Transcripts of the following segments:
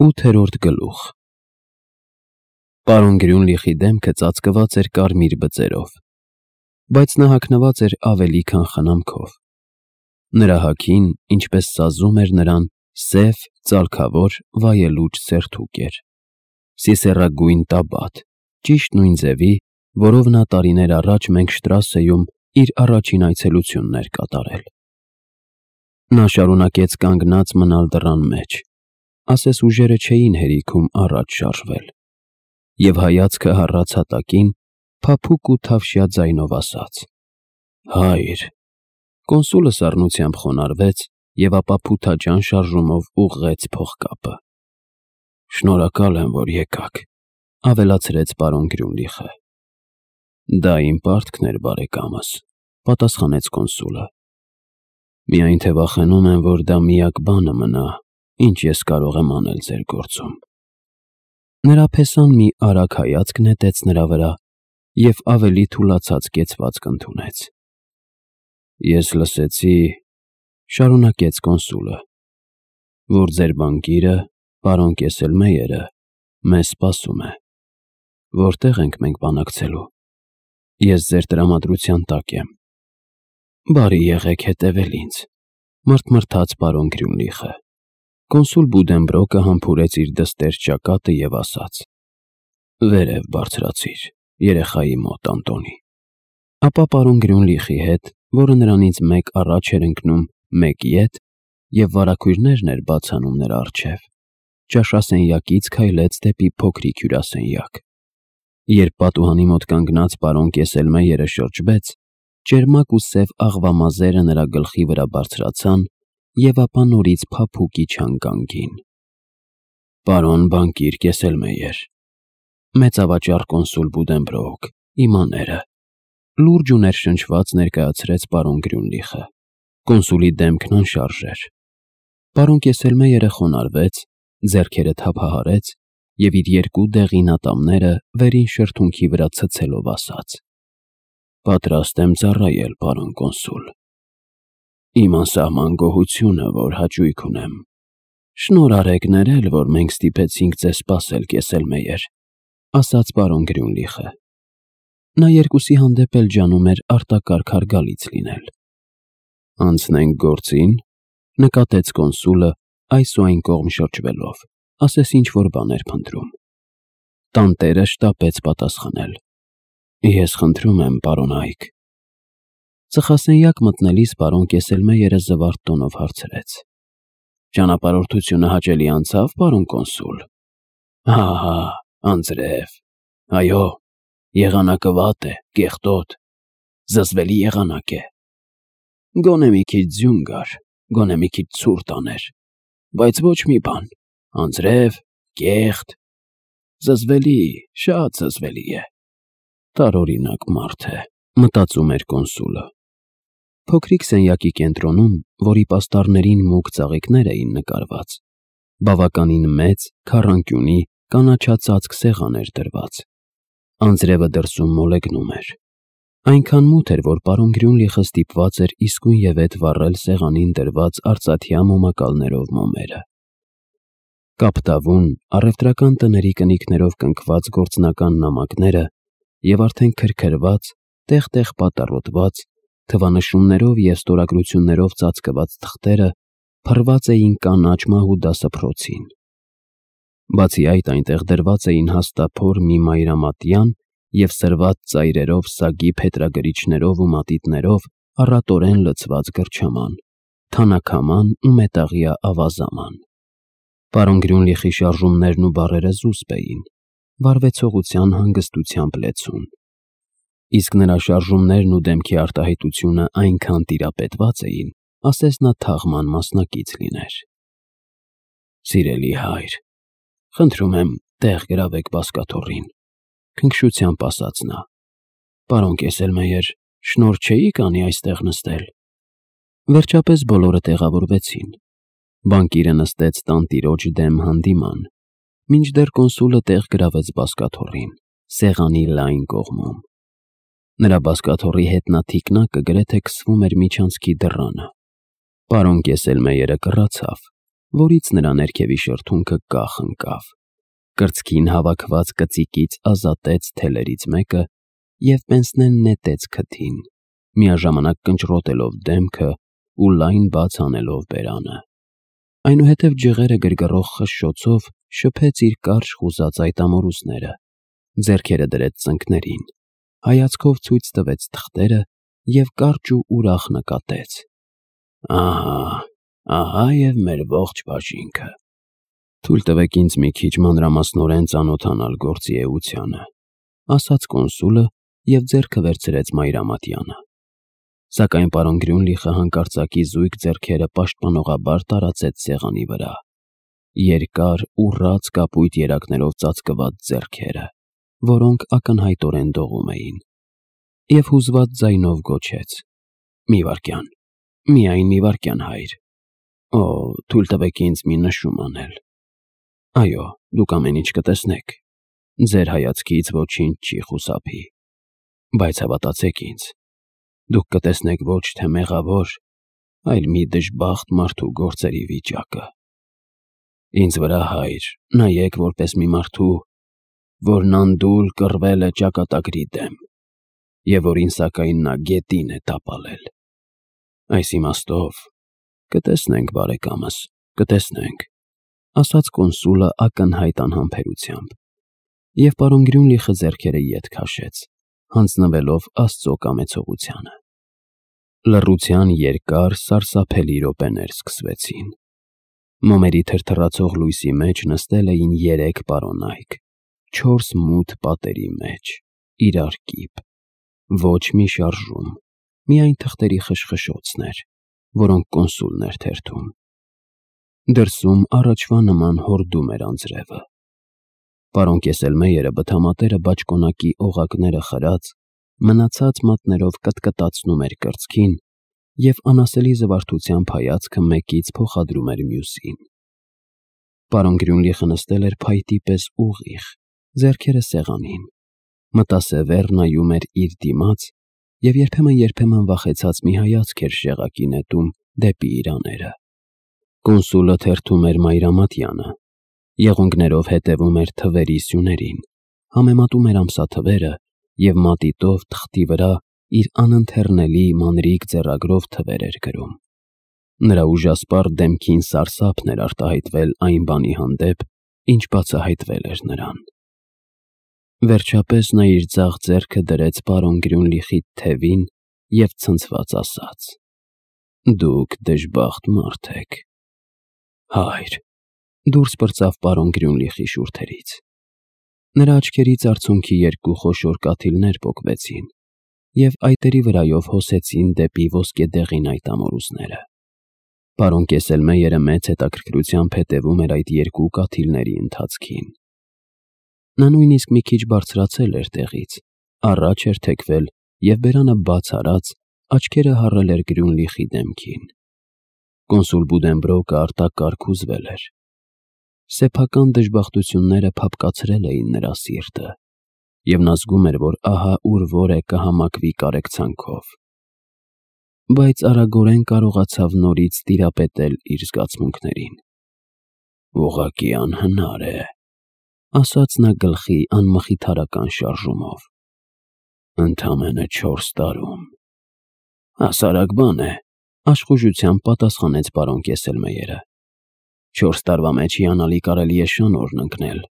8-րդ գլուխ Պարոն Գրյունլիխի դեմքը ծածկված էր կարմիր բծերով, բայց նա հագնված էր ավելի քան խնամքով։ Նրա հագին, ինչպես սազում էր նրան, սև, ծալքավոր, վայելուչ սերթուկ էր, սիսեռագույն տաբատ, ճիշտ նույն ձևի, որով նա տարիներ առաջ մենք Շտրասեում իր առաջին այցելությունն էր կատարել։ Նա շարունակեց կանգնած մնալ դռան մեջ, ասես ուժերը չէին հերիքում առաջ շարժվել, և հայացքը հառաց հատակին, փափուկ ու թավշյա ձայնով ասաց. «Հայր»։ Կոնսուլը սառնությամբ խոնարհվեց և ապա փութաջան շարժումով ուղղեց փողկապը։ «Շնորհակալ եմ, որ եկաք», ավելացրեց պարոն Գրյունլիխը։ «Դա իմ պարտքն էր, բարեկամս», պատասխանեց կոնսուլը։ «Միայն թե վախենում եմ, որ դա միակ բանը մնա, ինչ ես կարող եմ անել ձեր գործում»։ Նրա փեսան մի արագ հայացք նետեց նրա վրա և ավելի թուլացած կեցվածք ընդունեց։ «Ես լսեցի», շարունակեց կոնսուլը, «որ ձեր բանկիրը, պարոն Կեսելմեյերը, մեզ սպասում է։ Որտե՞ղ ենք մենք բանակցելու։ Ես ձեր տրամադրության տակ եմ»։ «Բարի եղեք հետևել ինձ», մռթմռթաց պարոն Գրյունլիխը։ Կոնսուլ Բուդենբրոկը համբուրեց իր դստեր ճակատը և ասաց. «Վերև բարձրացիր, երեխայի մոտ, Անտոնի»։ Ապա պարոն Գրյունլիխի հետ, որը նրանից մեկ առաջ էր ընկնում, մեկ ետ, և վարագույրներն էր բաց անում նրա առջև, ճաշասենյակից քայլեց դեպի փոքրիկ հյուրասենյակ։ Երբ պատուհանի մոտ կանգնած պարոն Կեսելմեյերը շրջվեց, ճերմակ ու սև աղվամազերը նրա գլխի վրա բարձրացան և ապա նորից փափուկ իջան կանգին։ «Պարոն բանկիր Կեսելմեյեր», մեծավաճառ կոնսուլ Բուդենբրոկ, իմ աները, լուրջ ու ներշնչված ներկայացրեց պարոն Գրյունլիխը։ Կոնսուլի դեմքն անշարժ էր։ Պարոն Կեսելմեյերը խոնարհվեց, ձեռքերը թափահարեց և իր երկու դեղին ատամները վերին շրթունքի վրա ցցելով ասաց. «Պատրաստ եմ ծառայել, պարոն կոնսուլ։ Իմ անսահման գոհությունը, որ հաճույք ունեմ։ Շնորհ արեք ներել, որ մենք ստիպեցինք ձեզ սպասել, Կեսելմեյեր», ասաց պարոն Գրյունլիխը։ Նա երկուսի հանդեպ էլ ջանում էր արտակարգ հարգալից լինել։ «Անցնենք գործին», նկատեց կոնսուլը, այս ու այն կողմ շրջվելով, ասես ինչ-որ բան էր փնտրում։ Տանտերը շտապեց պատասխանել. «Ես խնդրում եմ, պարոն Այք»։ Ծխասենյակ մտնելիս պարոն Կեսելմեյերը զվարթ տոնով հարցրեց. «Ճանապարհորդությունը հաճելի անցավ, պարոն կոնսուլ»։ «Հա, անձրև։ Այո, եղանակը վատ է, կեղտոտ, զզվելի եղանակ է։ Գոնե մի քիչ ձյուն գար, գոնե մի քիչ ցուրտ աներ, բայց ոչ մի բան, անձրև, կեղտ, զզվելի, շատ զզվելի է։ Տարօրինակ մարդ է», մտածում էր կոնսուլը։ Փոքրիկ սենյակի կենտրոնում, որի պաստառներին մուգ ծաղիկներ էին նկարված, բավականին մեծ, քառանկյունի, կանաչածածկ սեղան էր դրված։ Անձրևը դրսում մոլեգնում էր։ Այնքան մութ էր, որ պարոն Գրյունլիխը ստիպված էր իսկույնևեթ վառել սեղանին դրված արծաթյա մոմակալներով մոմերը։ Կապտավուն, առևտրական տների կնիկներով կնքված գործնական նամակները և արդեն քրքրված, տեղ-տեղ պատառոտված, թվանշումներով և ստորագրություններով ծածկված թղթերը փռված էին կանաչ մահու դասափռոցին։ Բացի այդ, այնտեղ դրված էին հաստափոր մի մայրամատյան և սրված ծայրերով սագի փետրագրիչներով ու մատիտներով առատորեն լցված գրչաման, թանաքաման ու մետաղյա ավազաման։ Պարոն Գրյունլիխի շարժումներն ու բառերը զուսպ էին, վարվեցողության հանգստությամբ լեցուն։ Իսկ նրա շարժումներն ու դեմքի արտահայտությունը այնքան տիրապետված էին, ասես նա թաղման մասնակից լիներ։ «Սիրելի հայր, խնդրում եմ, տեղ գրավեք բազկաթոռին», քնքշությամբ ասաց նա։ «Պարոն Կեսելմեյեր, շնորհ չէի՞ք անի այստեղ նստել»։ Վերջապես բոլորը տեղավորվեցին։ Բանկիրը նստեց տանտիրոջ դեմ հանդիման, մինչդեռ կոնսուլը տեղ գրավեց բազկաթոռին, սեղանի լայն կողմում։ Նրա բազկաթոռի հետնաթիկնակը գրեթե քսվում էր միջանցքի դռանը։ Պարոն Կեսելմեյերը կռացավ, որից նրա ներքևի շրթունքը կախ ընկավ։ Կրծքին հավաքված կծիկից ազատեց թելերից մեկը և Պենսնեն նետեց քթին, միաժամանակ կնճռոտելով դեմքը ու լայն բաց անելով բերանը։ Այնուհետև ջղերը գրգռող խշշոցով շփեց իր կարճ խուզած այդ ամորուսները, ձեռքերը դրեց ծնկներին, հայացքով ցույց տվեց թղթերը և կարճ ու ուրախ նկատեց. Ահա և մեր ողջ բաժինքը։ Թույլ տվեք ինձ մի քիչ մանրամասնորեն ծանոթանալ գործի էությանը, ասաց կոնսուլը և ձեռքը վերցրեց Մայրամատյանը։ Սակայն պարոն Գրյունլիխը հանկարծակի զույգ ձեռքերը պաշտպանողաբար տարածեց սեղանի վրա, երկար ուռած կապույտ երակներով ծածկված ձեռքերը, որոնք ակնհայտորեն դողում էին, և հուզված ձայնով գոչեց. «Մի վայրկյան, միայն մի վայրկյան, հայր։ Թույլ տվեք ինձ մի նշում անել։ Այո, դուք ամեն ինչ կտեսնեք, ձեր հայացքից ոչինչ չի խուսափի, բայց հավատացեք ինձ, դուք կտեսնեք ոչ թե մեղավոր, այլ մի դժբախտ մարդու գործերի վիճակը։ Ինձ վրա, հայր, նայեք որպես մի մարդու, որն անդուլ կռվել է ճակատագրի դեմ, և որին սակայն նա գետին է տապալել։ Այս իմաստով կտեսնենք, բարեկամս, կտեսնենք», ասաց կոնսուլը ակնհայտ անհամբերությամբ, և պարոն Գրյունլիխը ձեռքերը ետ քաշեց, հանձնվելով Աստծո կամեցողությանը։ Լռության երկար, սարսափելի րոպեներ սկսվեցին։ Մոմերի թրթռացող լույսի մեջ նստել էին 3 պարոնայք, 4 մութ պատերի մեջ, իրար կիպ, ոչ մի շարժում, միայն թղթերի խշխշոցներ, որոնք կոնսուլն էր թերթում։ Դրսում առաջվա նման հորդում էր անձրևը։ Պարոն Կեսելմեյերը բթամատերը բաճկոնակի օղակները խրած, մնացած մատներով կտկտացնում էր կրծքին և անասելի զվարթությամբ հայացքը մեկից փոխադրում էր մյուսին։ Պարոն Գրյունլիխը նստել էր փայտի պես ուղիղ, ձեռքերը սեղանին, մտասևեռ նայում էր իր դիմաց և երբեմն վախեցած մի հայացք էր շեղակի նետում դեպի իրաները։ Կոնսուլը թերթում էր Մայրամատյանը, եղունգներով հետևում էր թվերի սյուներին, համեմատում էր ամսաթվերը և մատիտով թղթի վրա իր անընթեռնելի մանրիկ ձեռագրով թվեր էր գրում։ Նրա ուժասպառ դեմքին սարսափն էր արտահայտվել այն բանի հանդեպ, ինչ բացահայտվել էր նրան։ Վերջապես նա իր ձախ ձեռքը դրեց պարոն Գրյունլիխի թևին և ցնցված ասաց. «Դուք դժբախտ մարդ եք, հայր», դուրս պրծավ պարոն Գրյունլիխի շուրթերից։ Նրա աչքերից արցունքի 2 խոշոր կաթիլներ պոկվեցին և այտերի վրայով հոսեցին դեպի ոսկեդեղին այդ ամորուսները։ Պարոն Կեսելմեյերը մեծ հետաքրքրությամբ հետևում էր այդ 2 կաթիլների ընթացքին։ Նա նույնիսկ մի քիչ բարձրացել էր տեղից, առաջ էր թեքվել և բերանը բաց արած, աչքերը հառել էր Գրյունլիխի դեմքին։ Կոնսուլ Բուդենբրոկը արտակարգ հուզվել էր։ Սեփական դժբախտությունները փափկացրել էին նրա սիրտը, և նա զգում էր, որ ահա ուր որ է կհամակվի կարեկցանքով։ Բայց արագորեն կարողացավ նորից տիրապետել իր զգացմունքներին։ «Ուղղակի անհնար է», ասաց նա գլխի անմխիթարական շարժումով։ «Ընդամենը 4 տարում»։ «Հասարակ բան է», աշխուժությամբ պատասխանեց պարոն Կեսելմեյերը։ 4 տարվա մեջ հիանալի կարելի է շնորհն ընկնել։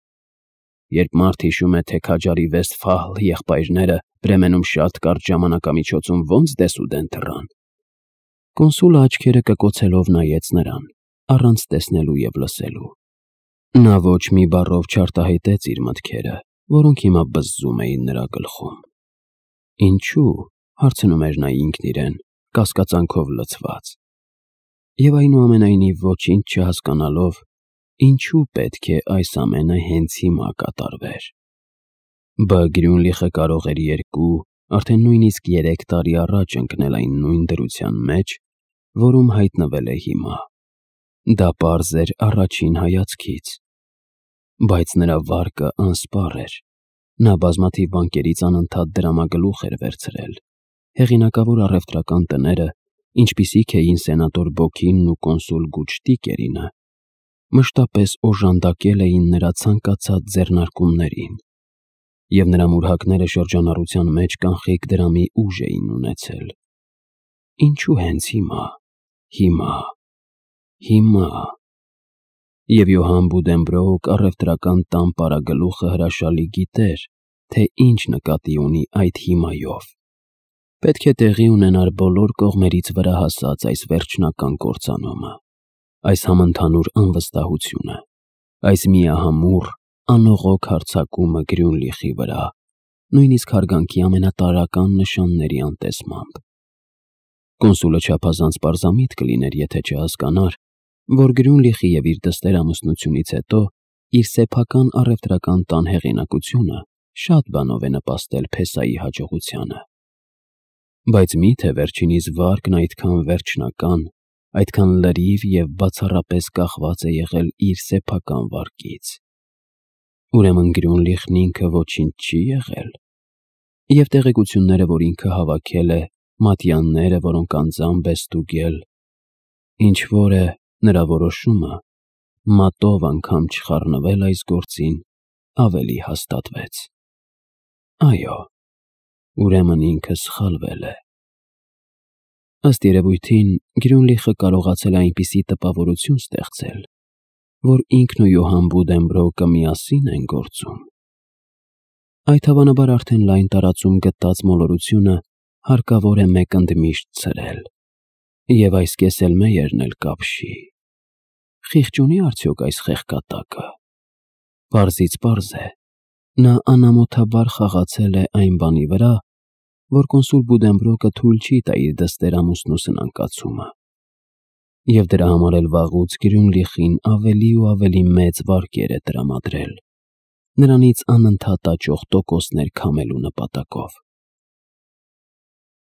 Երբ մարդ հիշում է, թե քաջարի Վեստֆալ եղբայրները Բրեմենում շատ կարճ ժամանակամիջոցում ոնց դեսուդեն թռան։ Կոնսուլը աչքերը կկոցելով նայեց նրան, առանց տեսնելու և լսելու։ Նա ոչ մի բառով չարտահայտեց իր մտքերը, որոնք հիմա բզզում էին նրա գլխում։ «Ինչու՞», հարցնում էր նա ինքն իրեն, կասկածանքով լցված։ Եվ այնուամենայնիվ ոչինչ չհասկանալով, ինչու պետք է այս ամենը հենց հիմա կատարվեր։ Բա Գրյունլիխը կարող էր 2, արդեն նույնիսկ 3 տարի առաջ ընկնել այն նույն դրության մեջ, որում հայտնվել է հիմա։ Դա պարզ էր առաջին հայացքից։ Բայց նրա վարկը անսպառ էր։ Նա բազմաթիվ բանկերից անընդհատ դրամագլուխ էր վերցրել։ Հեղինակավոր առևտրական տները, ինչպիսիք էին սենատոր Բոքինն ու կոնսուլ Գուտշտիկերինը, մշտապես օժանդակել էին նրա ցանկացած ձեռնարկումներին, և նրա մուրհակները շրջանառության մեջ կանխիկ դրամի ուժ էին ունեցել։ Ինչու հենց հիմա։ Եվ Յոհան Բուդենբրոուկ առևտրական տան պարագլուխը հրաշալի գիտեր, թե ինչ նկատի ունի այդ հիմայով։ Պետք է տեղի ունենար բոլոր կողմերից վրա հասած այս վերջնական կործանումը, այս համընդհանուր անվստահությունը, այս միահամուռ, անողոք հարձակումը Գրյունլիխի վրա, նույնիսկ հարգանքի ամենատարրական նշանների անտեսմամբ։ Կոնսուլը չափազանց պարզամիտ կլիներ, եթե չհասկանար, որ Գրյունլիխի և իր դստեր ամուսնությունից հետո իր սեփական առևտրական տան հեղինակությունը շատ բանով է նպաստել Փեսայի հաջողությանը։ Բայց մի՞թե վերջինիս վարկն այդքան վերջնական, այդքան լրիվ և բացառապես կախված է եղել իր սեփական վարկից։ Ուրեմն Գրյունլիխն ինքը ոչինչ չի եղել։ Եվ տեղեկությունները, որ ինքը հավաքել է, մատյանները, որոնք անձամբ է ստուգել, ինչ-որ է նրա որոշումը մատով անգամ չխառնվել այս գործին, ավելի հաստատվեց։ Այո, ուրեմն ինքը սխալվել է։ Ըստ երևույթին, Գրյունլիխը կարողացել է այնպիսի տպավորություն ստեղծել, որ ինքն ու Յոհան Բուդենբրոուկը միասին են գործում։ Այդ հավանաբար արդեն լայն տարածում գտած մոլորությունը հարկավոր է մեկ ընդմիշտ ցրել, և այս կեսելմեյերն էլ կապշի։ Խիղճ ունի՞ արդյոք այս խեղկատակը։ Պարզից պարզ է, նա անամոթաբար խաղացել է այն բանի վրա, որ կոնսուլ Բուդենբրոուկը թույլ չի տա իր դստեր ամուսնու սնանկացումը, և դրա համար էլ վաղուց Գրյունլիխին ավելի ու ավելի մեծ վարկեր է տրամադրել, նրանից անընդհատ աճող տոկոսներ քամելու նպատակով։